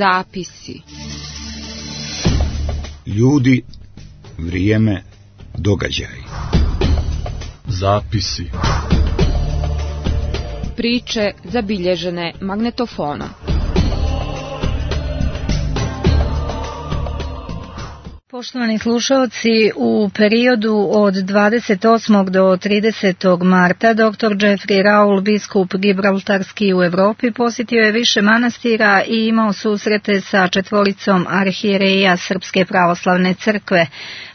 Zapisi. Ljudi, vrijeme, događaj. Zapisi. Priče zabilježene magnetofonom. Poštovani slušalci, u periodu od 28. do 30. marta dr. Jeffrey Raul, biskup Gibraltarski u Evropi, posjetio je više manastira i imao susrete sa četvoricom arhijereja Srpske pravoslavne crkve.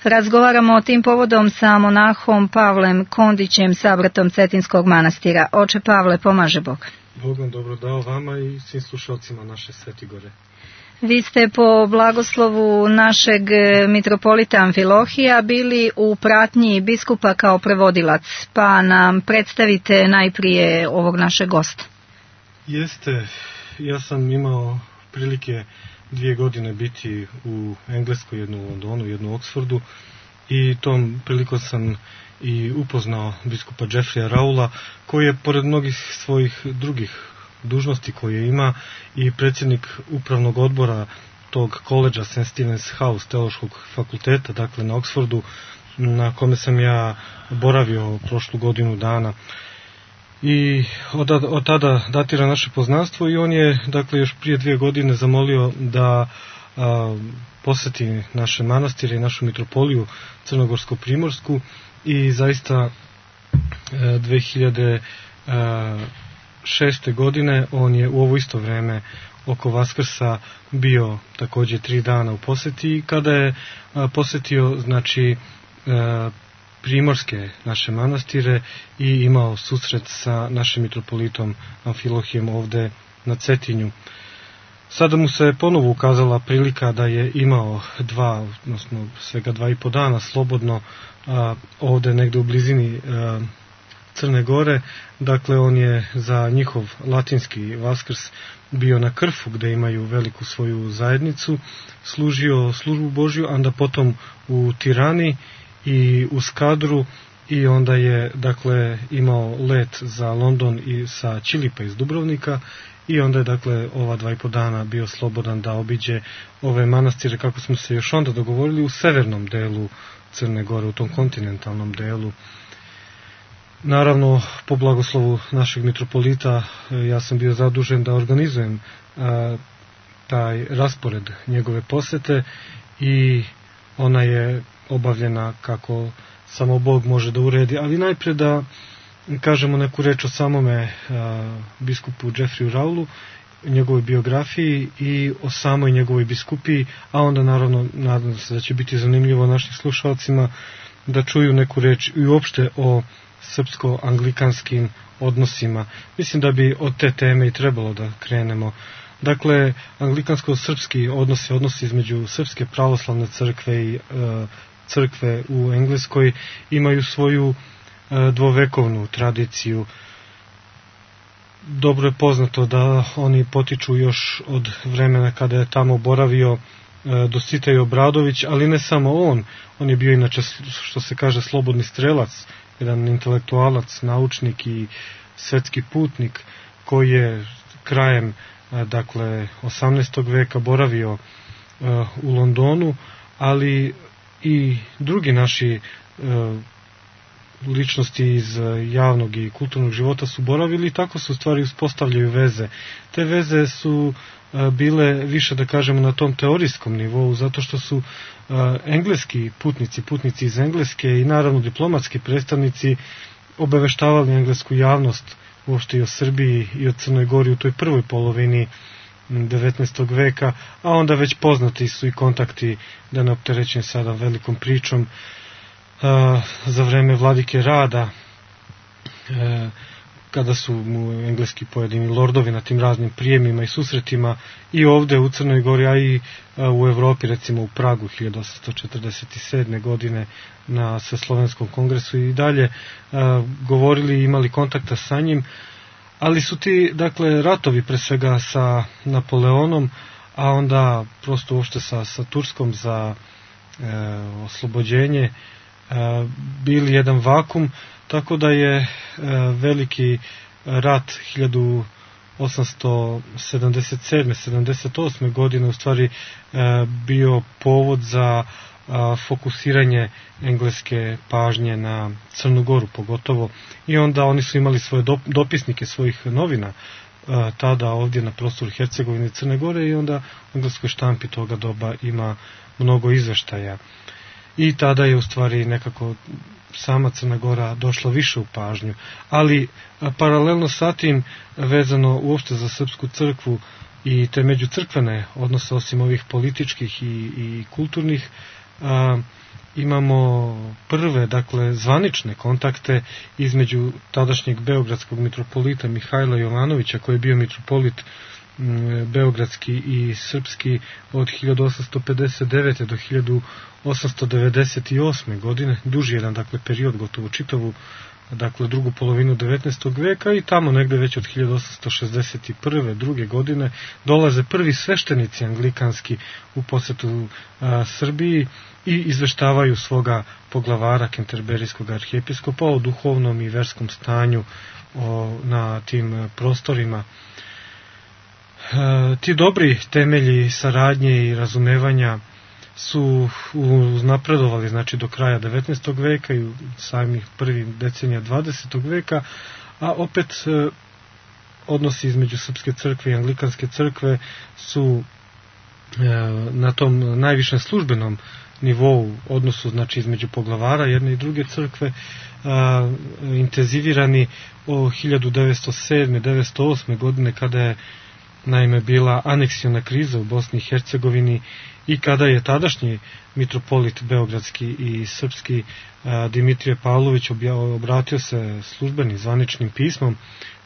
Razgovaramo o tim povodom sa monahom Pavlem Kondićem, sabratom Cetinskog manastira. Oče Pavle, pomaže Bog. Bog vam dobro dao vama i svim slušalcima naše Svetigore. Vi ste po blagoslovu našeg mitropolita Amfilohija bili u pratnji biskupa kao prevodilac, pa nam predstavite najprije ovog našeg gosta. Jeste, ja sam imao prilike 2 godine biti u Engleskoj, jednu u Londonu, jednu u Oxfordu, i tom prilikom sam i upoznao biskupa Jeffreya Raula, koji je pored mnogih svojih drugih dužnosti koje ima i predsjednik upravnog odbora tog koledža St. Stephen's House, teološkog fakulteta, dakle na Oxfordu, na kome sam ja boravio prošlu godinu dana. I od tada datira naše poznanstvo i on je, dakle, još prije 2 godine zamolio da poseti naše manastire i našu mitropoliju Crnogorsko-Primorsku, i zaista 2006. godine on je u ovo isto vreme oko Vaskrsa bio također 3 dana u posjeti, i kada je posjetio, znači, primorske naše manastire i imao susret sa našim mitropolitom Amfilohijem ovde na Cetinju. Sada mu se ponovo ukazala prilika da je imao svega 2,5 dana slobodno ovde negde u blizini Crne Gore. Dakle, on je za njihov latinski Vaskrs bio na Krfu, gde imaju veliku svoju zajednicu, služio službu Božju, onda potom u Tirani i u Skadru, i onda je, dakle, imao let za London i sa Čilipa iz Dubrovnika, i onda je, dakle, ova 2,5 dana bio slobodan da obiđe ove manastire, kako smo se još onda dogovorili, u severnom delu Crne Gore, u tom kontinentalnom delu. Naravno, po blagoslovu našeg mitropolita, ja sam bio zadužen da organizujem taj raspored njegove posete, i ona je obavljena kako samo Bog može da uredi. Ali najprije da kažemo neku reč o samome biskupu Jeffreyu Raulu, njegovoj biografiji i o samoj njegovoj biskupiji, a onda naravno nadam se da će biti zanimljivo našim slušalcima da čuju neku reč i uopšte o srpsko-anglikanskim odnosima. Mislim da bi od te teme i trebalo da krenemo. Dakle, anglikansko-srpski odnosi između Srpske pravoslavne crkve i crkve u Engleskoj imaju svoju dvovekovnu tradiciju. Dobro je poznato da oni potiču još od vremena kada je tamo boravio Dositej Obradović, ali ne samo on je bio inače, što se kaže, slobodni strelac, jedan intelektualac, naučnik i svetski putnik, koji je krajem, dakle, 18. veka boravio u Londonu, ali i drugi naši ličnosti iz javnog i kulturnog života su boravili, i tako se u stvari uspostavljaju veze. Te veze su bile više, da kažemo, na tom teorijskom nivou, zato što su engleski putnici iz Engleske i naravno diplomatski predstavnici obaveštavali englesku javnost uopšte i o Srbiji i o Crnoj Gori u toj prvoj polovini 19. veka, a onda već poznati su i kontakti, da ne opterećujem sada velikom pričom, za vreme vladike Rada, kada su mu engleski pojedini lordovi na tim raznim prijemima i susretima i ovde u Crnoj Gori, a i u Evropi, recimo u Pragu 1847. godine na Sveslovenskom kongresu, i dalje govorili i imali kontakta sa njim. Ali su ti, dakle, ratovi pre svega sa Napoleonom, a onda prosto uopšte sa Turskom za oslobođenje, bili jedan vakum, tako da je veliki rat 1877-78. godine u stvari bio povod za fokusiranje engleske pažnje na Crnu Goru pogotovo, i onda oni su imali svoje dopisnike svojih novina tada ovdje na prostoru Hercegovine i Crne Gore, i onda u engleskoj štampi toga doba ima mnogo izveštaja. I tada je u stvari nekako sama Crna Gora došla više u pažnju. Ali paralelno sa tim, vezano uopšte za srpsku crkvu i te međucrkvene odnose, osim ovih političkih i kulturnih, imamo prve, dakle, zvanične kontakte između tadašnjeg beogradskog mitropolita Mihajla Jovanovića, koji je bio mitropolit beogradski i srpski od 1859. do 1898. godine, duži jedan, dakle, period, gotovo čitavu, dakle, drugu polovinu 19. veka, i tamo negde već od 1861. druge godine dolaze prvi sveštenici anglikanski u posetu Srbiji i izveštavaju svoga poglavara Kenterberijskog arhijepiskopa o duhovnom i verskom stanju na tim prostorima. Ti dobri temelji saradnje i razumevanja su uznapredovali, znači, do kraja 19. veka i u samih prvih decenija 20. veka, a opet odnosi između Srpske crkve i Anglikanske crkve su na tom najvišem službenom nivou, odnosu, znači, između poglavara jedne i druge crkve, intenzivirani o 1907-1908. godine, kada je naime bila aneksiona kriza u Bosni i Hercegovini i kada je tadašnji mitropolit beogradski i srpski Dimitrije Pavlović obratio se službenim zvaničnim pismom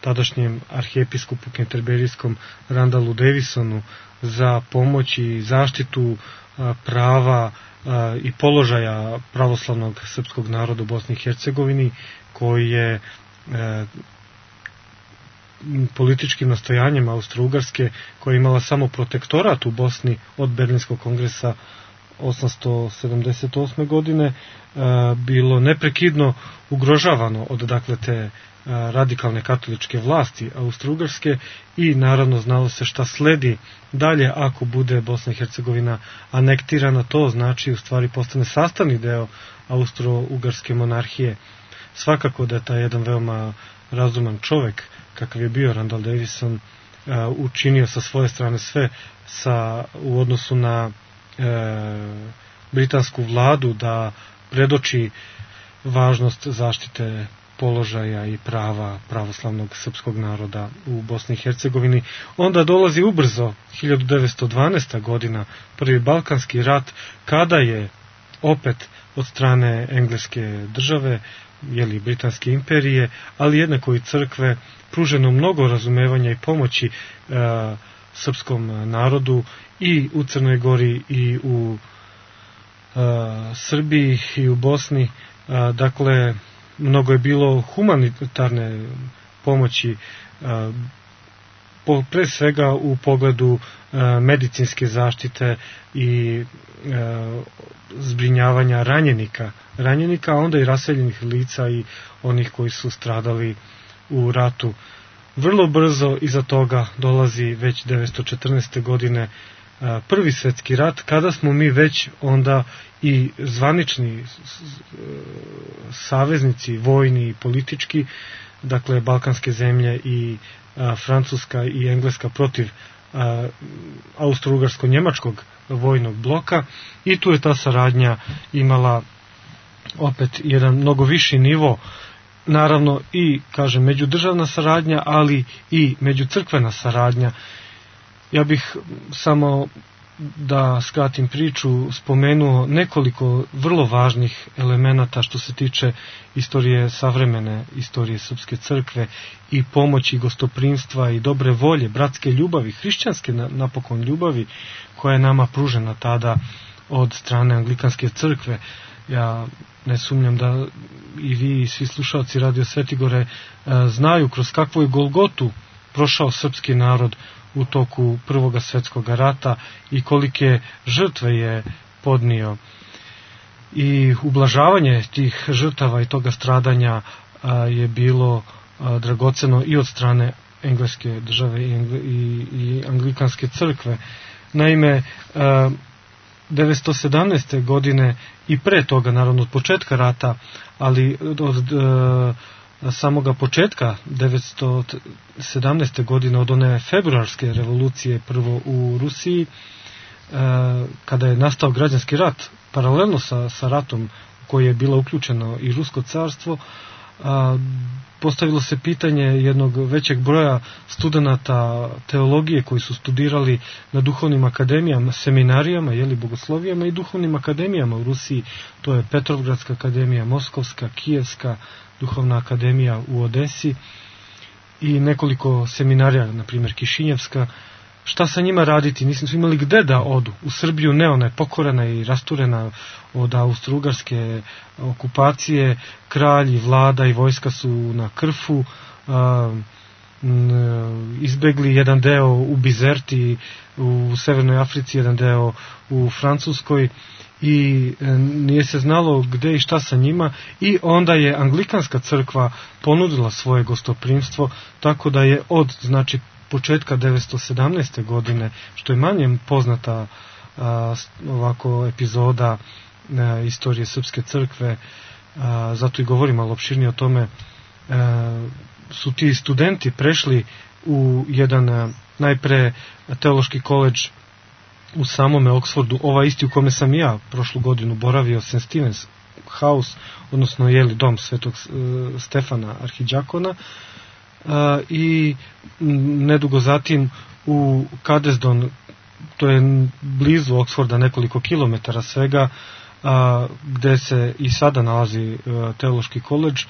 tadašnjem arhijepiskopu kenterberijskom Randalu Davisonu za pomoć i zaštitu prava i položaja pravoslavnog srpskog naroda u Bosni i Hercegovini, koji je političkim nastojanjem Austro-Ugarske, koja je imala samo protektorat u Bosni od Berlinskog kongresa 878. godine, bilo neprekidno ugrožavano od, dakle, te radikalne katoličke vlasti Austro-Ugarske, i naravno znalo se šta sledi dalje ako bude Bosna i Hercegovina anektirana. To znači u stvari postane sastavni deo Austro-Ugarske monarhije. Svakako da je taj jedan veoma razuman čovek kakav je bio Randall Davison učinio sa svoje strane sve u odnosu na britansku vladu da predoči važnost zaštite položaja i prava pravoslavnog srpskog naroda u Bosni i Hercegovini. Onda dolazi ubrzo 1912. godina, prvi Balkanski rat, kada je opet od strane engleske države, Britanske imperije, ali jednako i crkve, pruženo mnogo razumevanja i pomoći srpskom narodu i u Crnoj Gori i u Srbiji i u Bosni. Dakle, mnogo je bilo humanitarne pomoći, pre svega u pogledu medicinske zaštite i zbrinjavanja ranjenika, a onda i raseljenih lica i onih koji su stradali u ratu. Vrlo brzo iza toga dolazi već 1914. godine Prvi svjetski rat, kada smo mi već onda i zvanični saveznici, vojni i politički, dakle balkanske zemlje i Francuska i Engleska protiv austro-ugarsko-njemačkog vojnog bloka, i tu je ta saradnja imala opet jedan mnogo viši nivo, naravno i, kažem, međudržavna saradnja, ali i međucrkvena saradnja. Ja bih samo, da skratim priču, spomenuo nekoliko vrlo važnih elemenata što se tiče istorije, savremene istorije Srpske crkve i pomoći, gostoprimstva i dobre volje, bratske ljubavi, hrišćanske napokon ljubavi, koja je nama pružena tada od strane Anglikanske crkve. Ja ne sumnjam da i vi i svi slušalci Radio Svetigore znaju kroz kakvu je golgotu prošao srpski narod u toku Prvog svjetskog rata i kolike žrtve je podnio. I ublažavanje tih žrtava i toga stradanja je bilo dragoceno i od strane engleske države i anglikanske crkve. Naime, 917. godine i pre toga, naravno od početka rata, ali od samoga početka 917. godine, od one februarske revolucije prvo u Rusiji, kada je nastao građanski rat, paralelno sa ratom u koji je bilo uključeno i Rusko carstvo, postavilo se pitanje jednog većeg broja studenata teologije koji su studirali na duhovnim akademijama, seminarijama, bogoslovijama i duhovnim akademijama u Rusiji. To je Petrovgradska akademija, Moskovska, Kijevska duhovna akademija u Odesi i nekoliko seminarija, na primjer Kišinjevska. Šta sa njima raditi? Nismo imali gde da odu. U Srbiju ne, ona je pokorena i rasturena od austrougarske okupacije. Kralj i vlada i vojska su na Krfu, izbegli jedan deo u Bizerti u Severnoj Africi, jedan deo u Francuskoj i nije se znalo gde i šta sa njima, i onda je Anglikanska crkva ponudila svoje gostoprimstvo, tako da je od početka 917. godine, što je manje poznata ovako epizoda istorije Srpske crkve, zato i govorim malo opširnije o tome, su ti studenti prešli u jedan najpre teološki koledž u samome Oxfordu, ovaj isti u kome sam ja prošlu godinu boravio, St. Stephen's House, odnosno dom Svetog Stefana Arhidžakona, i nedugo zatim u Cadesdon, to je blizu Oxforda, nekoliko kilometara svega, gde se i sada nalazi teološki koledž,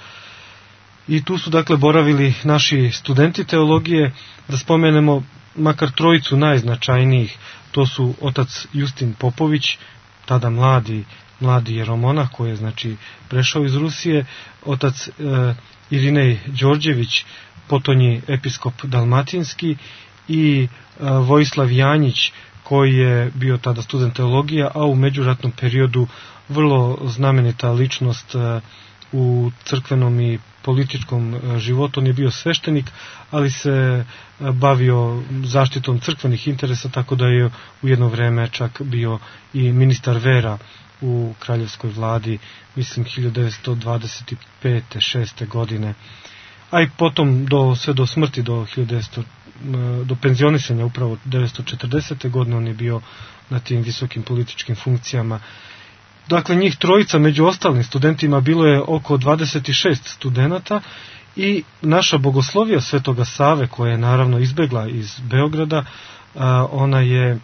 i tu su dakle boravili naši studenti teologije. Da spomenemo makar trojicu najznačajnijih, to su otac Justin Popović, tada mladi jeromonah koji je prešao iz Rusije, otac Irinej Đorđević, potonji episkop dalmatinski, i Vojislav Janjić, koji je bio tada student teologija, a u međuratnom periodu vrlo znamenita ličnost u crkvenom i političkom životu. On je bio sveštenik, ali se bavio zaštitom crkvenih interesa, tako da je u jedno vreme čak bio i ministar vera u kraljevskoj vladi, mislim 1925. 6. godine. A i potom sve do smrti, do penzionisanja upravo 1940. godine, on je bio na tim visokim političkim funkcijama. Dakle, njih trojica, među ostalim studentima bilo je oko 26 studenata, i naša bogoslovija Svetoga Save, koja je naravno izbegla iz Beograda, ona je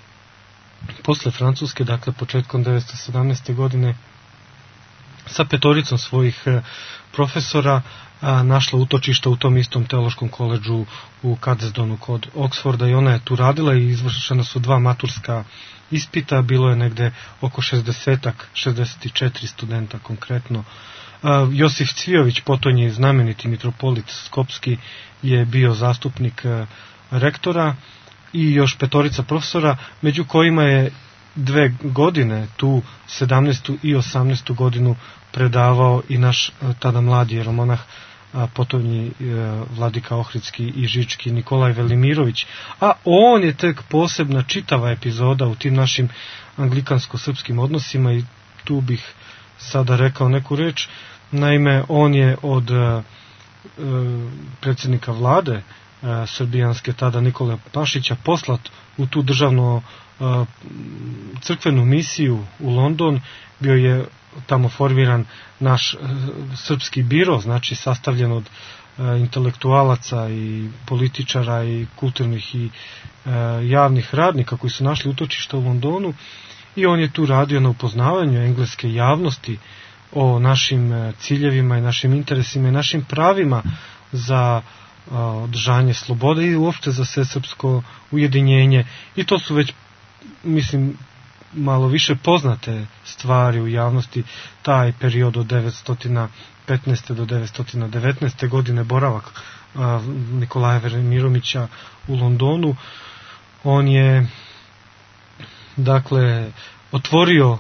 posle Francuske, dakle početkom 1917. godine, sa petoricom svojih profesora našla utočišta u tom istom teološkom koledžu u Cadesdonu kod Oxforda, i ona je tu radila i izvršena su 2 maturska ispita, bilo je negde oko 64 studenta konkretno. Josif Cvijović, potonji znameniti mitropolit Skopski, je bio zastupnik rektora, i još petorica profesora, među kojima je 2 godine, tu 17. i 18. godinu, predavao i naš tada mladi jeromonah, potonji vladika Ohridski i Žički Nikolaj Velimirović, a on je tek posebna čitava epizoda u tim našim anglikansko-srpskim odnosima, i tu bih sada rekao neku reč. Naime, on je od predsjednika vlade srbijanske tada Nikole Pašića poslat u tu državno crkvenu misiju u London. Bio je tamo formiran naš srpski biro, sastavljen od intelektualaca i političara i kulturnih i javnih radnika koji su našli utočište u Londonu, i on je tu radio na upoznavanju engleske javnosti o našim ciljevima i našim interesima i našim pravima za održanje slobode i uopšte za svesrpsko ujedinjenje. I to su već, mislim, malo više poznate stvari u javnosti, taj period od 915. do 919. godine, boravak Nikolaja Velimirovića u Londonu. On je dakle otvorio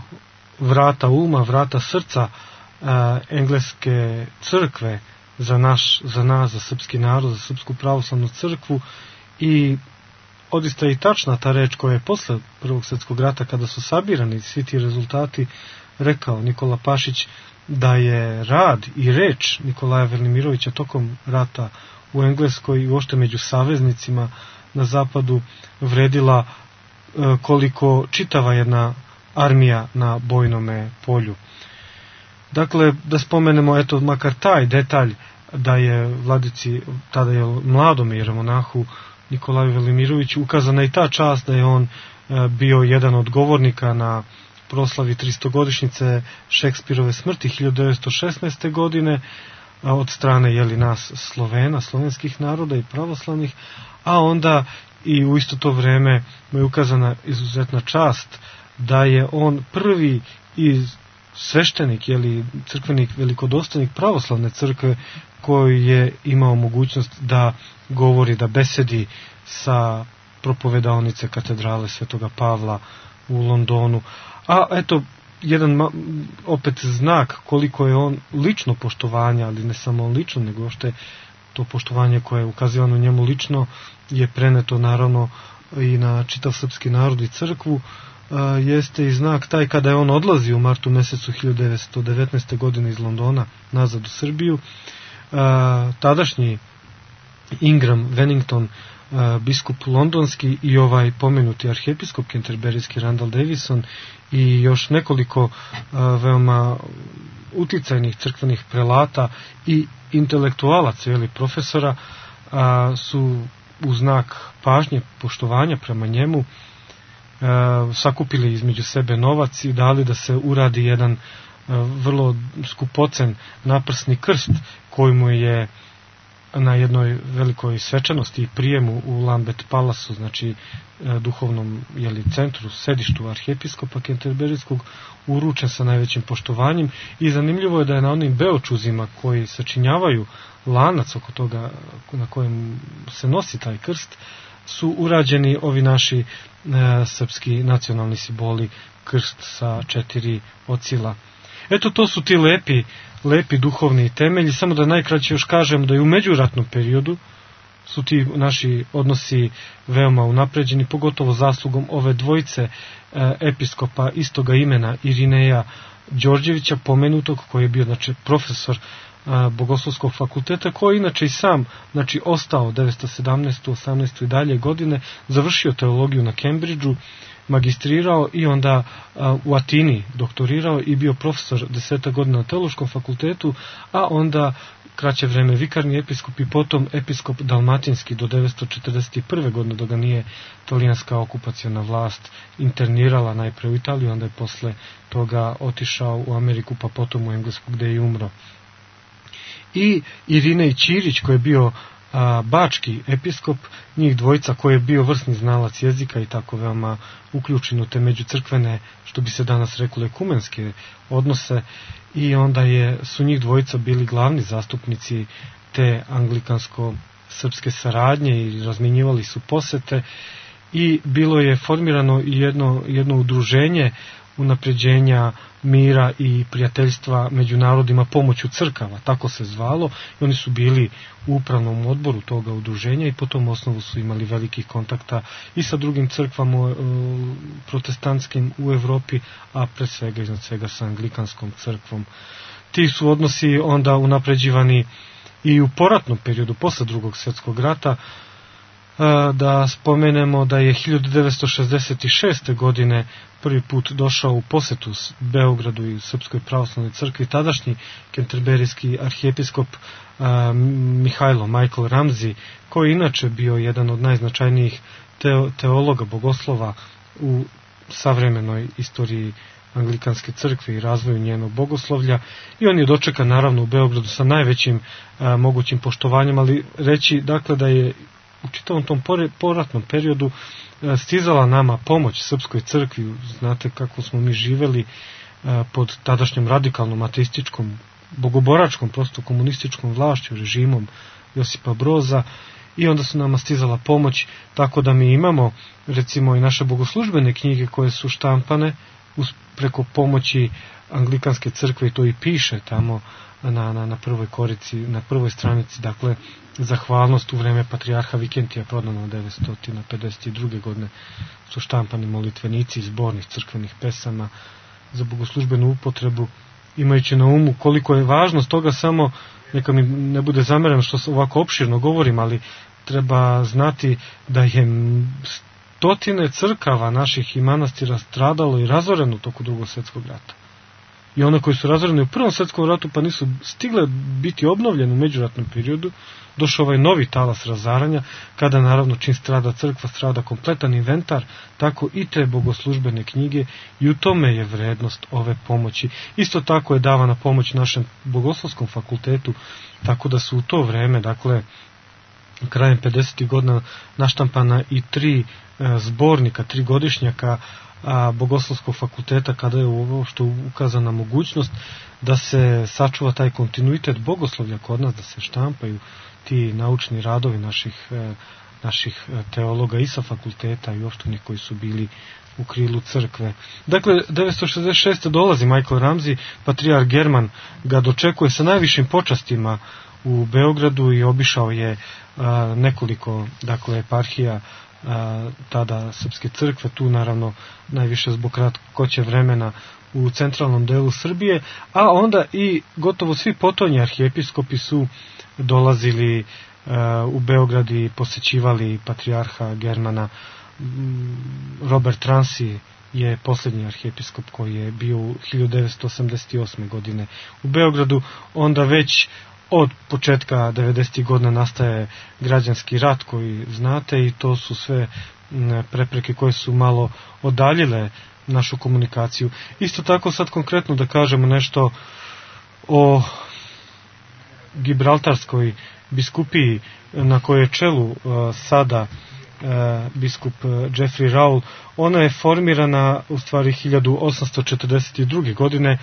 vrata uma, vrata srca engleske crkve za nas, za srpski narod, za Srpsku pravoslavnu crkvu. I odista je i tačna ta reč koja je posle Prvog svjetskog rata, kada su sabirani svi ti rezultati, rekao Nikola Pašić da je rad i reč Nikolaja Velimirovića tokom rata u Engleskoj i uopšte među saveznicima na zapadu vredila koliko čitava jedna armija na bojnome polju. Dakle, da spomenemo eto makar taj detalj da je vladici, tada je mladom jeremonahu Nikolaju Velimiroviću ukazana i ta čast da je on bio jedan od govornika na proslavi 300-godišnjice Šekspirove smrti 1916. godine od strane nas Slovena, slovenskih naroda i pravoslavnih, a onda i u isto to vreme mu je ukazana izuzetna čast da je on prvi sveštenik, crkvenik velikodostojnik pravoslavne crkve koji je imao mogućnost da govori, da besedi sa propovedaonice katedrale Svetoga Pavla u Londonu. A eto, jedan opet znak koliko je on lično poštovanja, ali ne samo lično, nego što je to poštovanje koje je ukazivano njemu lično je preneto naravno i na čitav srpski narod i crkvu, jeste i znak taj kada je on odlazi u martu mesecu 1919. godine iz Londona nazad u Srbiju. Tadašnji Ingram Wennington, biskup londonski i ovaj pomenuti arhijepiskop kenterberijski Randall Davison i još nekoliko veoma uticajnih crkvenih prelata i intelektualaca ili profesora su u znak pažnje, poštovanja prema njemu sakupili između sebe novac i dali da se uradi jedan vrlo skupocen naprsni krst koji mu je na jednoj velikoj svečanosti i prijemu u Lambeth Palasu, znači duhovnom centru, sedištu arhijepiskopa kenterberijskog, uručen sa najvećim poštovanjem. I zanimljivo je da je na onim beočuzima koji sačinjavaju lanac oko toga na kojem se nosi taj krst su urađeni ovi naši srpski nacionalni simboli, krst sa 4 ocila. Eto, to su ti lepi duhovni temelji. Samo da najkraće još kažem da i u međuratnom periodu su ti naši odnosi veoma unapređeni, pogotovo zaslugom ove dvojice episkopa istoga imena, Irineja Đorđevića, pomenutog, koji je bio profesor Bogoslovskog fakulteta, koji inače i sam ostao 917. 18. i dalje godine, završio teologiju na Cambridgeu, magistrirao i onda u Atini doktorirao i bio profesor 10 godina na teološkom fakultetu, a onda kraće vreme vikarni episkop i potom episkop dalmatinski do 941. godine, dok ga nije talijanska okupaciona vlast internirala najpre u Italiju, onda je posle toga otišao u Ameriku, pa potom u Englesku, gde je umro. I Irinej Ćirić, koji je bio bački episkop, njih dvojica, koji je bio vrsni znalac jezika i tako veoma uključen u te međucrkvene, što bi se danas reklo, ekumenske odnose, i onda su njih dvojica bili glavni zastupnici te anglikansko-srpske saradnje i razmjenjivali su posete i bilo je formirano jedno udruženje unapređenja mira i prijateljstva među narodima pomoću crkava, tako se zvalo, i oni su bili u upravnom odboru toga udruženja i po tom osnovu su imali velikih kontakta i sa drugim crkvama protestantskim u Evropi, a pre svega iznad svega sa anglikanskom crkvom. Ti su odnosi onda unapređivani i u poratnom periodu, posle Drugog svjetskog rata. Da spomenemo da je 1966. godine prvi put došao u posetu Beogradu i Srpskoj pravoslavnoj crkvi tadašnji kenterberijski arhijepiskop Michael Ramsey, koji inače bio jedan od najznačajnijih teologa, bogoslova u savremenoj istoriji anglikanske crkve i razvoju njenog bogoslovlja, i on je dočekan naravno u Beogradu sa najvećim mogućim poštovanjem, ali reći dakle da je u čitavom tom poratnom periodu stizala nama pomoć Srpskoj crkvi. Znate kako smo mi živeli pod tadašnjom radikalnom ateističkom, bogoboračkom, prosto komunističkom vlašću, režimom Josipa Broza, i onda su nama stizala pomoć, tako da mi imamo recimo i naše bogoslužbene knjige koje su štampane preko pomoći Anglikanske crkve, i to i piše tamo na prvoj korici, na prvoj stranici, dakle, zahvalnost u vreme patrijarha Vikentija, prodano 952. godine, su štampani molitvenici zbornih crkvenih pesama za bogoslužbenu upotrebu, imajući na umu koliko je važnost toga. Samo neka mi ne bude zamereno što ovako opširno govorim, ali treba znati da je stotine crkava naših i manastira stradalo i razoreno u toku Drugog svjetskog rata. I one koji su razorene u Prvom svjetskom ratu pa nisu stigle biti obnovljene u međuratnom periodu, došao ovaj novi talas razaranja, kada naravno čim strada crkva, strada kompletan inventar, tako i te bogoslužbene knjige, i u tome je vrednost ove pomoći. Isto tako je davana pomoć našem bogoslovskom fakultetu, tako da su u to vreme, dakle, krajem 50. godina naštampana i 3 zbornika, 3 godišnjaka Bogoslovskog fakulteta, kada je uopšte ukazana mogućnost da se sačuva taj kontinuitet bogoslovlja kod nas, da se štampaju ti naučni radovi naših teologa i sa fakulteta i uopšte onih koji su bili u krilu crkve. Dakle, 966. dolazi Michael Ramsey, patrijarh German ga dočekuje sa najvišim počastima u Beogradu i obišao je nekoliko, dakle, eparhija tada Srpske crkve, tu naravno najviše zbog kratkoće vremena u centralnom delu Srbije, a onda i gotovo svi potonji arhijepiskopi su dolazili u Beograd i posećivali patrijarha Germana. Robert Transi je posljednji arhijepiskop koji je bio u 1988. godine u Beogradu. Onda već od početka 90. godina nastaje građanski rat koji znate, i to su sve prepreke koje su malo odaljile našu komunikaciju. Isto tako sad konkretno da kažemo nešto o Gibraltarskoj biskupiji na kojoj je čelu sada biskup Jeffrey Raul. Ona je formirana u stvari 1842. godine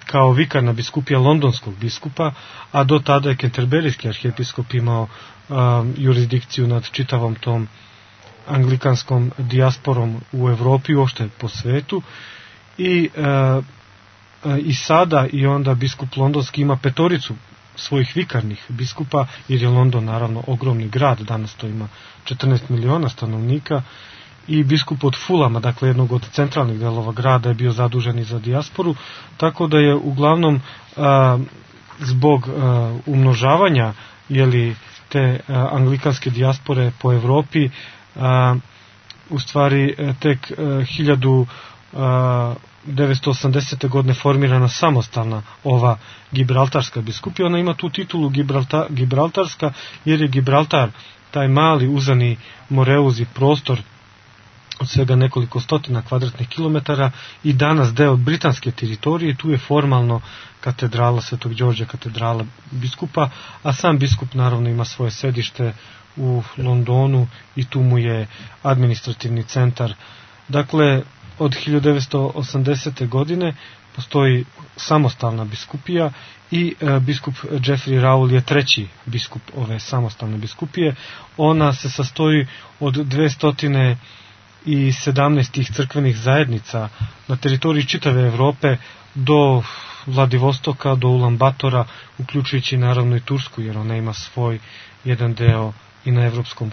kao vikarna biskupija londonskog biskupa, a do tada je Kenterberijski arhijepiskop imao jurisdikciju nad čitavom tom anglikanskom dijasporom u Evropi, uopšte po svetu, i sada i onda biskup londonski ima 5 svojih vikarnih biskupa, jer je London naravno ogromni grad, danas to ima 14 miliona stanovnika, i biskup od Fulama, dakle jednog od centralnih delova grada, je bio zadužen i za dijasporu, tako da je uglavnom zbog umnožavanja te anglikanske dijaspore po Evropi, u stvari tek 1980. godine formirana samostalna ova Gibraltarska biskupija. Ona ima tu titulu Gibraltarska, jer je Gibraltar, taj mali uzani moreuzi prostor od svega nekoliko stotina kvadratnih kilometara, i danas deo britanske teritorije. Tu je formalno katedrala Svetog Đorđa, katedrala biskupa, a sam biskup naravno ima svoje sedište u Londonu i tu mu je administrativni centar. Dakle, od 1980. godine postoji samostalna biskupija i biskup Jeffrey Raul je 3. biskup ove samostalne biskupije. Ona se sastoji od 217 crkvenih zajednica na teritoriji čitave Evrope, do Vladivostoka, do Ulan-Batora, uključujući naravno i Tursku, jer ona ima svoj jedan deo i na evropskom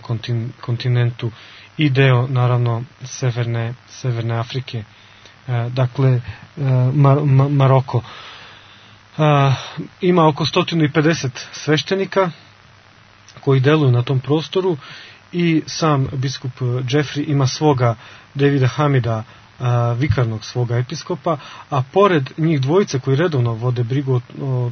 kontinentu i deo naravno severne Afrike, dakle Maroko. Ima oko 150 sveštenika koji deluju na tom prostoru, i sam biskup Jeffrey ima svoga Davida Hamida, vikarnog svoga episkopa, a pored njih dvojice koji redovno vode brigu o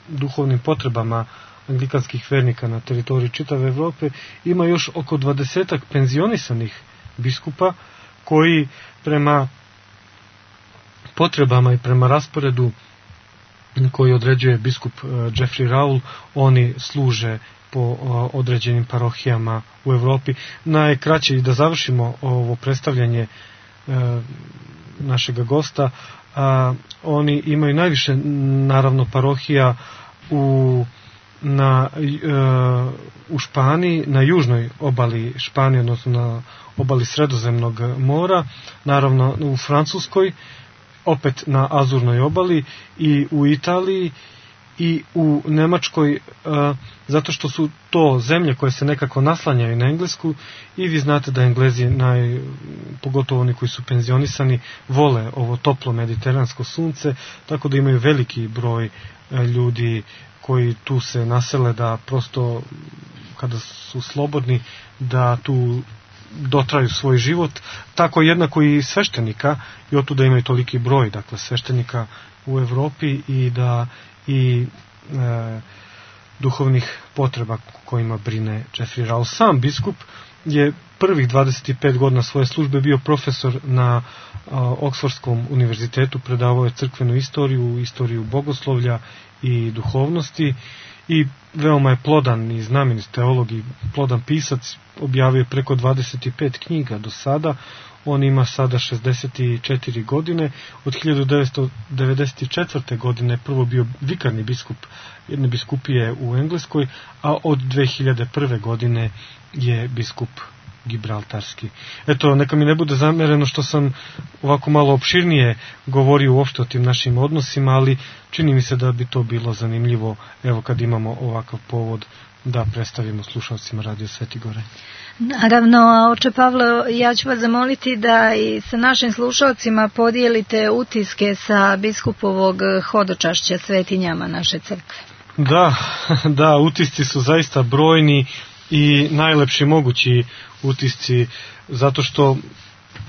duhovnim potrebama anglikanskih vernika na teritoriji čitave Evrope, ima još oko 20 penzionisanih biskupa koji prema potrebama i prema rasporedu koji određuje biskup Jeffrey Raul, oni služe po određenim parohijama u Evropi. Najkraće, i da završimo ovo predstavljanje našega gosta, oni imaju najviše naravno parohija u u Španiji, na južnoj obali Španije, odnosno na obali Sredozemnog mora, naravno u Francuskoj, opet na Azurnoj obali, i u Italiji i u Nemačkoj, zato što su to zemlje koje se nekako naslanjaju na Englesku, i vi znate da Englezi, pogotovo oni koji su penzionisani, vole ovo toplo mediteransko sunce, tako da imaju veliki broj ljudi koji tu se nasele, da prosto kada su slobodni da tu dotraju svoj život, tako jednako i sveštenika, i otuda imaju toliki broj, dakle, sveštenika u Evropi, i da i duhovnih potreba kojima brine Jeffrey Rowell. Sam biskup je prvih 25 godina svoje službe bio profesor na Oksfordskom univerzitetu, predavao je crkvenu istoriju bogoslovlja i duhovnosti, i veoma je plodan i znamenit teolog i plodan pisac, objavio je preko 25 knjiga do sada. On ima sada 64 godine. Od 1994. godine prvo bio vikarni biskup jedne biskupije u Engleskoj, a od 2001. godine je biskup gibraltarski. Eto, neka mi ne bude zamereno što sam ovako malo opširnije govorio uopšte o tim našim odnosima, ali čini mi se da bi to bilo zanimljivo, evo, kad imamo ovakav povod da predstavimo slušalcima Radio Sveti Gore. Naravno, oče Pavle, ja ću vas zamoliti da i sa našim slušalcima podijelite utiske sa biskupovog hodočašća svetinjama naše crkve. Da, utisci su zaista brojni i najlepši mogući utisci, zato što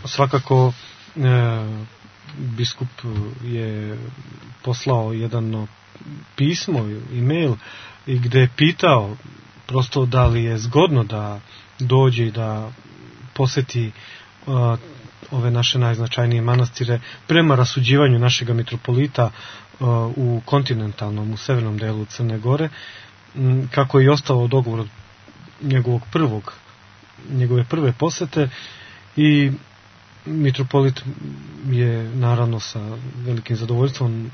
svakako biskup je poslao jedno pismo, e-mail, i gde je pitao prosto da li je zgodno da dođe i da poseti ove naše najznačajnije manastire prema rasuđivanju našega mitropolita u kontinentalnom, u severnom delu Crne Gore, kako je i ostao dogovor od njegove prve posete, i mitropolit je naravno sa velikim zadovoljstvom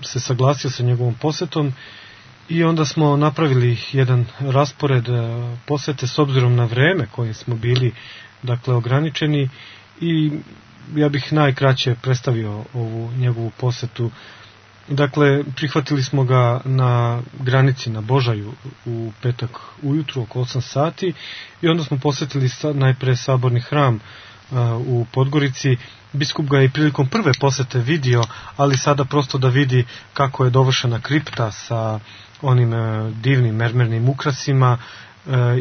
se saglasio sa njegovom posetom, i onda smo napravili jedan raspored posete s obzirom na vreme koje smo bili, dakle, ograničeni, i ja bih najkraće predstavio ovu njegovu posetu. Dakle, prihvatili smo ga na granici na Božaju u petak ujutru oko 8 sati, i onda smo posetili najpre saborni hram u Podgorici. Biskup ga je prilikom prve posete vidio, ali sada prosto da vidi kako je dovršena kripta sa onim divnim mermernim ukrasima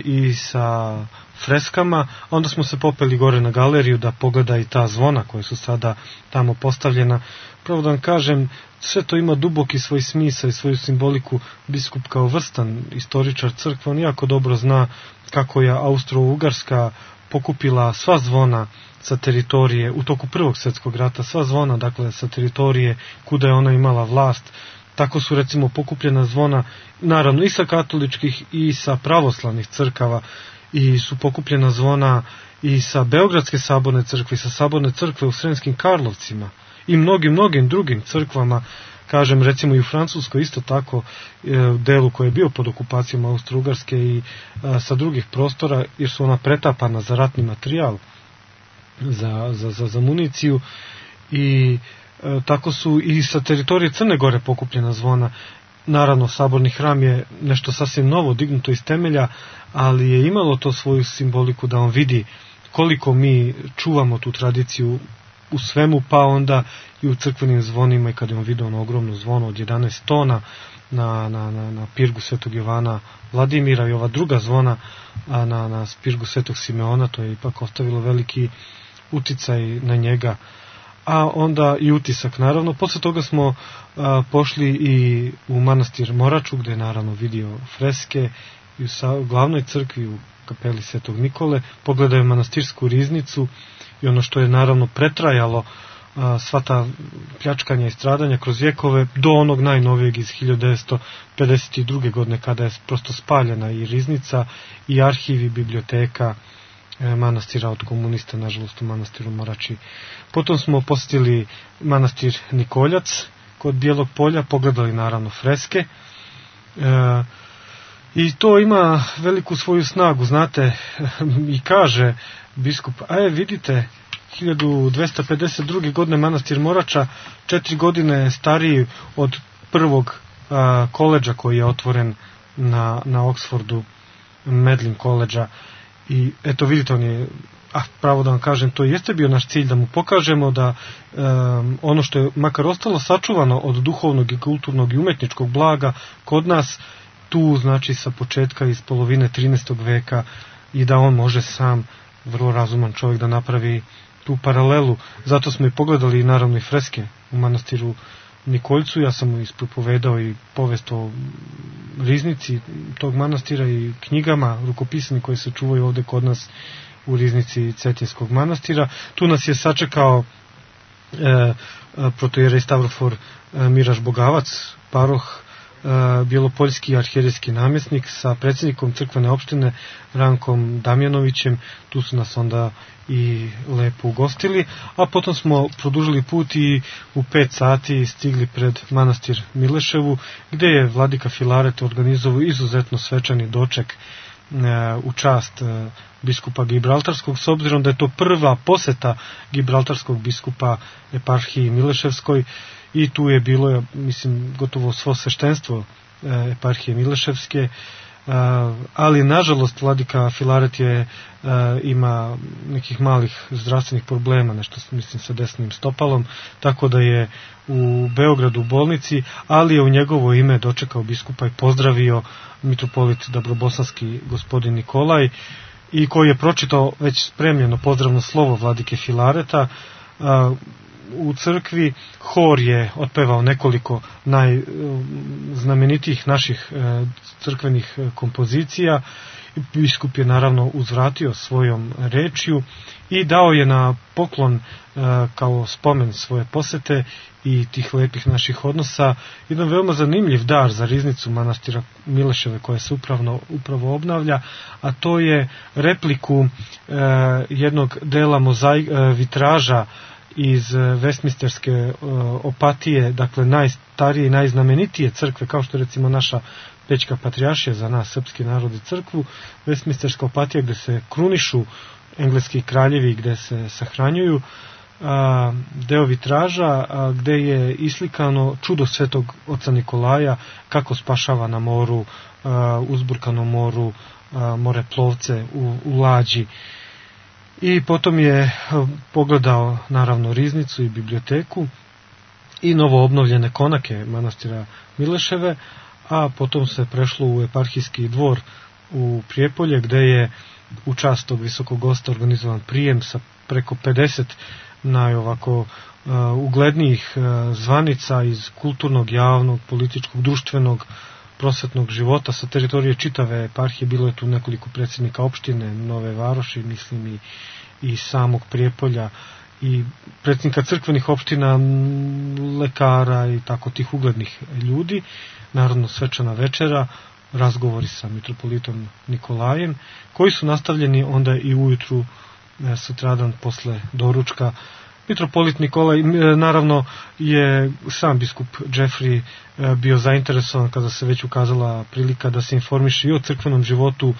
i sa freskama. Onda smo se popeli gore na galeriju da pogleda i ta zvona koja su sada tamo postavljena. Pravo da vam kažem, sve to ima duboki svoj smisao i svoju simboliku. Biskup kao vrstan istoričar crkve, on jako dobro zna kako je Austro-Ugarska pokupila sva zvona sa teritorije u toku Prvog svjetskog rata, sva zvona, dakle, sa teritorije kuda je ona imala vlast. Tako su, recimo, pokupljena zvona, naravno, i sa katoličkih i sa pravoslavnih crkava, i su pokupljena zvona i sa Beogradske saborne crkve, i sa saborne crkve u Sremskim Karlovcima, i mnogim drugim crkvama. Kažem, recimo i u Francuskoj isto tako, delu koji je bio pod okupacijom Austro-Ugarske, i sa drugih prostora, jer su ona pretapana za ratni materijal, za municiju, i tako su i sa teritorije Crne Gore pokupljena zvona. Naravno, saborni hram je nešto sasvim novo, dignuto iz temelja, ali je imalo to svoju simboliku da on vidi koliko mi čuvamo tu tradiciju u svemu, pa onda i u crkvenim zvonima. I kad je on vidio ono ogromno zvono od 11 tona na pirgu Svetog Jovana Vladimira, i ova druga zvona na pirgu Svetog Simeona, to je ipak ostavilo veliki uticaj na njega. A onda i utisak, naravno. Posle toga smo pošli i u manastir Moraču, gde je naravno vidio freske, i u glavnoj crkvi, u kapeli Svetog Nikole, pogledao je manastirsku riznicu, i ono što je naravno pretrajalo sva ta pljačkanja i stradanja kroz vjekove, do onog najnovijeg iz 1952. godine, kada je prosto spaljena i riznica i arhiv i biblioteka manastira od komunista, nažalost, u manastiru Morači. Potom smo posjetili manastir Nikoljac kod Bijelog polja, pogledali naravno freske, I to ima veliku svoju snagu, znate, i kaže biskup, vidite, 1252. godine manastir Morača, 4 godine stariji od prvog koledža koji je otvoren na Oxfordu, Medlin koledža. I eto vidite, on je, pravo da vam kažem, to jeste bio naš cilj, da mu pokažemo da ono što je makar ostalo sačuvano od duhovnog i kulturnog i umetničkog blaga kod nas, tu znači sa početka iz polovine 13. veka, i da on može sam, vrlo razuman čovjek, da napravi tu paralelu. Zato smo i pogledali naravno i freske u manastiru Nikoljcu. Ja sam mu ispropovedao i povest o riznici tog manastira i knjigama rukopisani koje se čuvaju ovde kod nas u riznici Cetinskog manastira. Tu nas je sačekao protojerej Stavrofor Miraš Bogavac, paroh, bjelopoljski arhijerejski namjesnik sa predsjednikom crkvene opštine Rankom Damjanovićem. Tu su nas onda i lepo ugostili, a potom smo produžili put i u 5 sati stigli pred manastir Mileševu, gde je vladika Filaret organizovao izuzetno svečani doček u čast biskupa Gibraltarskog, s obzirom da je to prva poseta gibraltarskog biskupa eparhiji Mileševskoj, i tu je bilo, mislim, gotovo svo sveštenstvo eparhije Mileševske, ali nažalost vladika Filaret ima nekih malih zdravstvenih problema, nešto mislim sa desnim stopalom, tako da je u Beogradu u bolnici, ali je u njegovo ime dočekao biskupa i pozdravio mitropolit Dabrobosanski gospodin Nikolaj, i koji je pročitao već spremljeno pozdravno slovo vladike Filareta. U crkvi hor je otpevao nekoliko najznamenitijih naših crkvenih kompozicija. Biskup je naravno uzvratio svojom rečju i dao je na poklon kao spomen svoje posete i tih lepih naših odnosa jedan veoma zanimljiv dar za riznicu manastira Mileševe koja se upravo obnavlja, a to je repliku jednog dela vitraža iz Westminsterske opatije, dakle najstarije i najznamenitije crkve, kao što je recimo naša Pećka patrijaršija za nas, srpski narod i crkvu, Westminsterska opatija gde se krunišu engleski kraljevi, gde se sahranjuju, deo vitraža gde je islikano čudo svetog oca Nikolaja, kako spašava na moru, uzburkanom moru, moreplovce u lađi. I potom je pogledao naravno riznicu i biblioteku i novo obnovljene konake manastira Mileševe, a potom se prešlo u eparhijski dvor u Prijepolje, gde je u čast tog visokog gosta organizovan prijem sa preko 50 najovako uglednijih zvanica iz kulturnog, javnog, političkog, društvenog, prosvetnog života sa teritorije čitave eparhije. Bilo je tu nekoliko predsjednika opštine Nove Varoši, mislim i samog Prijepolja, i predsjednika crkvenih opština, lekara i tako tih uglednih ljudi. Naravno svečana večera, razgovori sa mitropolitom Nikolajem, koji su nastavljeni onda i ujutru, sutradan posle doručka. Mitropolit Nikolaj, naravno, je sam biskup Jeffrey bio zainteresovan kada se već ukazala prilika da se informiše i o crkvenom životu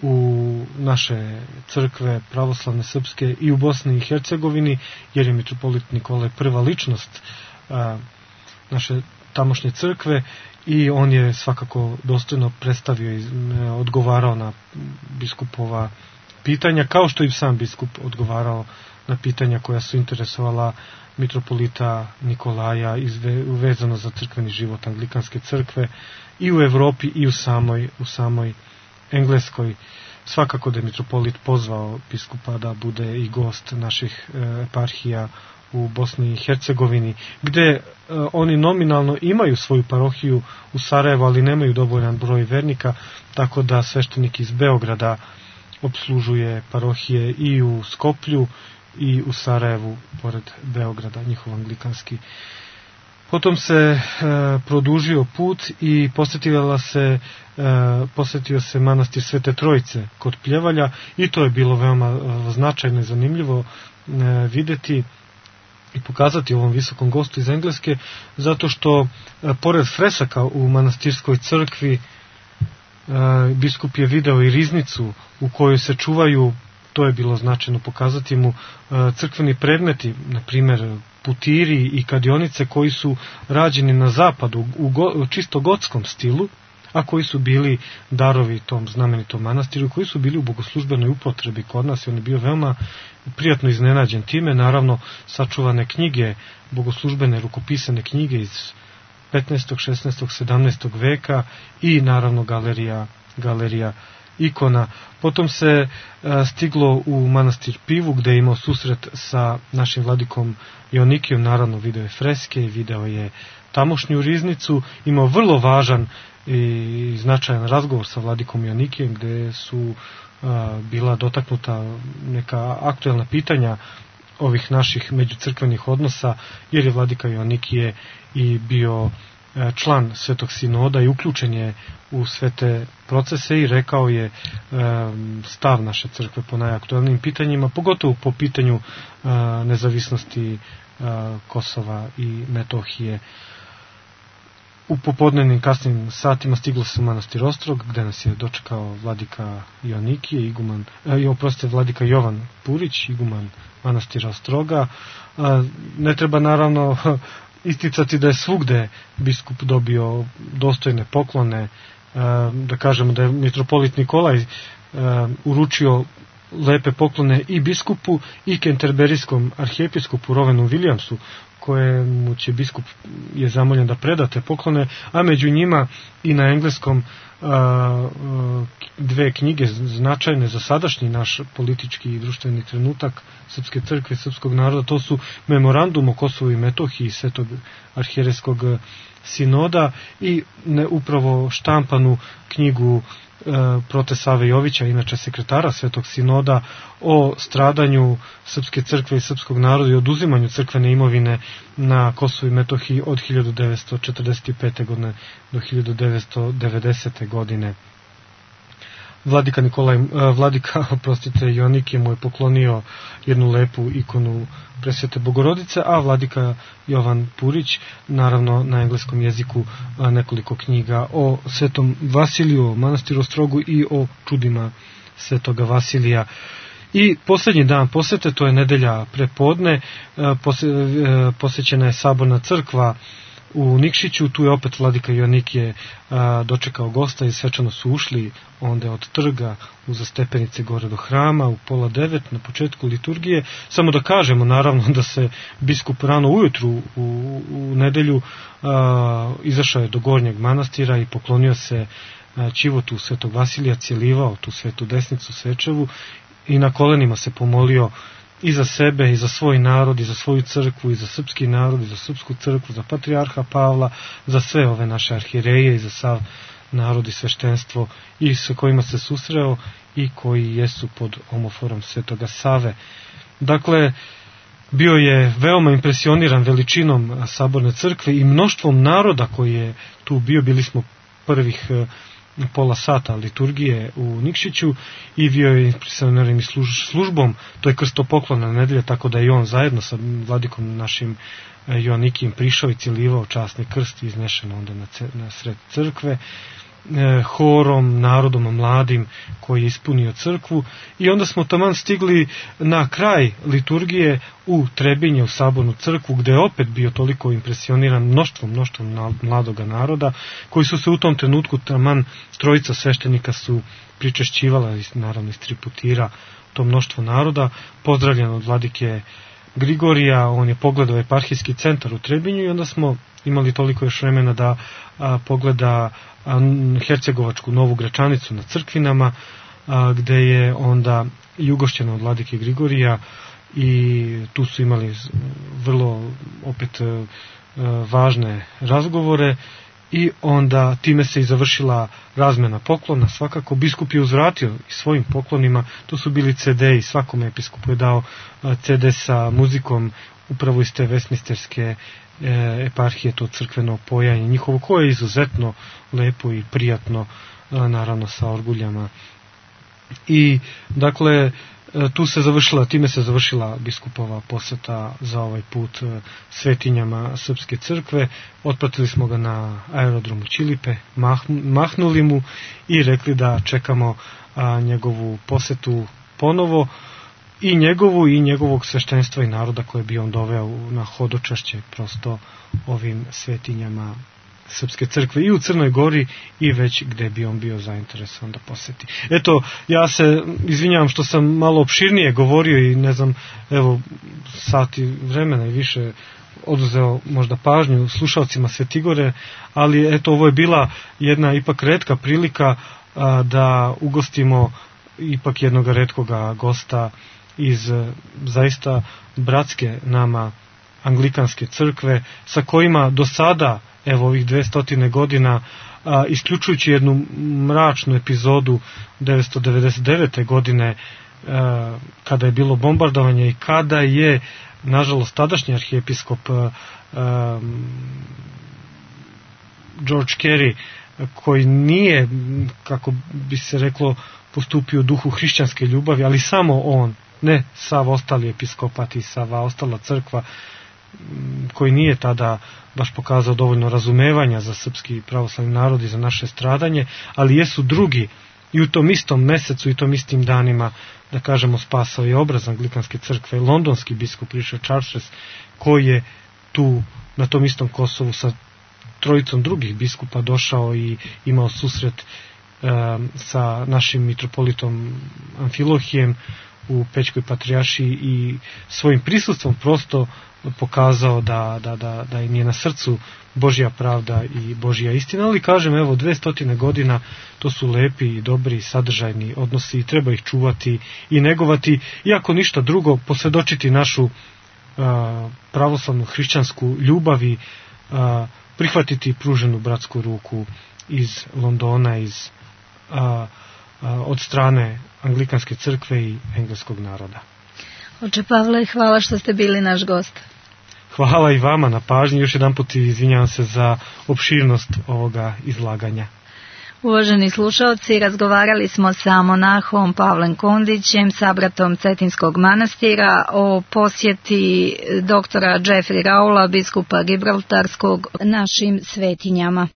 u naše crkve pravoslavne srpske i u Bosni i Hercegovini, jer je mitropolit Nikolaj prva ličnost naše tamošnje crkve i on je svakako dostojno predstavio i odgovarao na biskupova pitanja, kao što i sam biskup odgovarao na pitanja koja su interesovala mitropolita Nikolaja vezano za crkveni život anglikanske crkve i u Evropi i u samoj Engleskoj. Svakako da je mitropolit pozvao biskupa da bude i gost naših eparhija u Bosni i Hercegovini, gde oni nominalno imaju svoju parohiju u Sarajevu, ali nemaju dovoljan broj vernika, tako da sveštenik iz Beograda obslužuje parohije i u Skoplju i u Sarajevu, pored Beograda, njihov anglikanski. Potom se produžio put i posetio se manastir Svete Trojice kod Pljevalja, i to je bilo veoma značajno i zanimljivo videti i pokazati ovom visokom gostu iz Engleske, zato što pored fresaka u manastirskoj crkvi biskup je video i riznicu u kojoj se čuvaju, to je bilo značajno pokazati mu, crkveni predmeti, na primjer putiri i kadionice koji su rađeni na zapadu u čisto gotskom stilu, a koji su bili darovi tom znamenitom manastiru, koji su bili u bogoslužbenoj upotrebi kod nas i on je bio veoma prijatno iznenađen time. Naravno, sačuvane knjige, bogoslužbene rukopisane knjige iz 15., 16., 17. veka i naravno galerija ikona. Potom se stiglo u manastir Pivu, gde je imao susret sa našim vladikom Joanikijom, naravno video je freske i video je tamošnju riznicu, imao vrlo važan i značajan razgovor sa vladikom Joanikijem, gde su bila dotaknuta neka aktuelna pitanja ovih naših međucrkvenih odnosa, jer je vladika Joanikije i bio član Svetog sinoda i uključen je u sve te procese i rekao je stav naše crkve po najaktuelnijim pitanjima, pogotovo po pitanju nezavisnosti Kosova i Metohije. U popodnevnim kasnim satima stiglo se u manastir Ostrog, gde nas je dočekao vladika Joanikije, vladika Jovan Purić, iguman manastira Ostroga. Ne treba naravno isticati da je svugde biskup dobio dostojne poklone, da kažemo da je mitropolit Nikolaj uručio lepe poklone i biskupu i kenterberijskom arhijepiskopu Rovenu Williamsu, kojemu će biskup je zamoljen da preda te poklone, a među njima i na engleskom dve knjige značajne za sadašnji naš politički i društveni trenutak Srpske crkve i srpskog naroda. To su Memorandum o Kosovu i Metohiji Svetog arhijerejskog sinoda i upravo štampanu knjigu Prote Save Jovića, inače sekretara Svetog sinoda, o stradanju Srpske crkve i srpskog naroda i oduzimanju crkvene imovine na Kosovu i Metohiji od 1945. godine do 1990. godine. Vladika Joanikije mu je poklonio jednu lepu ikonu Presvete Bogorodice, a vladika Jovan Purić, naravno na engleskom jeziku, nekoliko knjiga o Svetom Vasiliju, o manastiru Ostrogu i o čudima Svetoga Vasilija. I posljednji dan posete, to je nedelja prepodne, posjećena je saborna crkva u Nikšiću. Tu je opet vladika Joanikije dočekao gosta i svečano su ušli onda od trga uza stepenice gore do hrama u 8:30 na početku liturgije. Samo da kažemo naravno da se biskup rano ujutru u nedelju izašao je do gornjeg manastira i poklonio se ćivotu Svetog Vasilija, cijelivao tu svetu desnicu svečevu i na kolenima se pomolio i za sebe, i za svoj narod, i za svoju crkvu, i za srpski narod, i za srpsku crkvu, za patrijarha Pavla, za sve ove naše arhijereje i za sav narod i sveštenstvo i sa kojima se susreo i koji jesu pod omoforom Svetoga Save. Dakle, bio je veoma impresioniran veličinom saborne crkve i mnoštvom naroda koji je tu bio. Bili smo prvih pola sata liturgije u Nikšiću i bio je impresioniran i službom, to je krstopoklona nedelja, tako da je on zajedno sa vladikom našim Joanikijem prišao i cijelivao časni krst i iznešen onda na sred crkve, horom, narodom mladim koji je ispunio crkvu. I onda smo taman stigli na kraj liturgije u Trebinje, u sabornu crkvu, gde je opet bio toliko impresioniran mnoštvom mladoga naroda, koji su se u tom trenutku, taman trojica sveštenika su pričešćivala, naravno iz 3 putira, to mnoštvo naroda, pozdravljen od vladike Grigorija. On je pogledao eparhijski centar u Trebinju i onda smo imali toliko još vremena da pogleda Hercegovačku Novu Gračanicu na Crkvinama, gde je onda i ugošćeno od vladike Grigorija i tu su imali vrlo opet važne razgovore i onda time se i završila razmena poklona. Svakako biskup je uzvratio i svojim poklonima, to su bili CD-i, svakom episkopu je dao CD sa muzikom upravo iz te Westminsterske eparhije, to crkveno pojanje njihovo, koje je izuzetno lepo i prijatno, naravno sa orguljama. I dakle time se završila biskupova poseta za ovaj put svetinjama Srpske crkve. Otpratili smo ga na aerodromu Ćilipe, mahnuli mu i rekli da čekamo njegovu posetu ponovo, i njegovog sveštenstva i naroda koje bi on doveo na hodočašće prosto ovim svetinjama Srpske crkve i u Crnoj Gori i već gde bi on bio zainteresovan da poseti. Eto, ja se izvinjavam što sam malo opširnije govorio i ne znam, evo, sati vremena i više oduzeo možda pažnju slušalcima Svetigore, ali eto, ovo je bila jedna ipak retka prilika da ugostimo ipak jednog retkoga gosta iz zaista bratske nama Anglikanske crkve, sa kojima do sada, evo ovih 200 godina, isključujući jednu mračnu epizodu 999. godine, kada je bilo bombardovanje i kada je, nažalost, tadašnji arhijepiskop George Carey, koji nije, kako bi se reklo, postupio u duhu hrišćanske ljubavi, ali samo on, ne sav ostali episkopat i sva ostala crkva, koji nije tada baš pokazao dovoljno razumevanja za srpski pravoslavni narod i za naše stradanje, ali jesu drugi i u tom istom mesecu i tom istim danima, da kažemo, spasao je obraz Anglikanske crkve, londonski biskup Richard Chartres, koji je tu na tom istom Kosovu sa trojicom drugih biskupa došao i imao susret sa našim mitropolitom Amfilohijem u Pećkoj patrijaršiji i svojim prisustvom prosto pokazao da im je na srcu Božja pravda i Božja istina. Ali kažem, evo, 200 godina, to su lepi i dobri sadržajni odnosi i treba ih čuvati i negovati, iako ništa drugo, posvjedočiti našu pravoslavnu hrišćansku ljubav i prihvatiti pruženu bratsku ruku iz Londona, od strane Anglikanske crkve i engleskog naroda. Oče Pavle, hvala što ste bili naš gost. Hvala i vama na pažnji, još jedan put izvinjavam se za opširnost ovoga izlaganja. Uvaženi slušalci, razgovarali smo sa monahom Pavlem Kondićem, sabratom Cetinskog manastira, o posjeti doktora Jeffrey Raula, biskupa Gibraltarskog, našim svetinjama.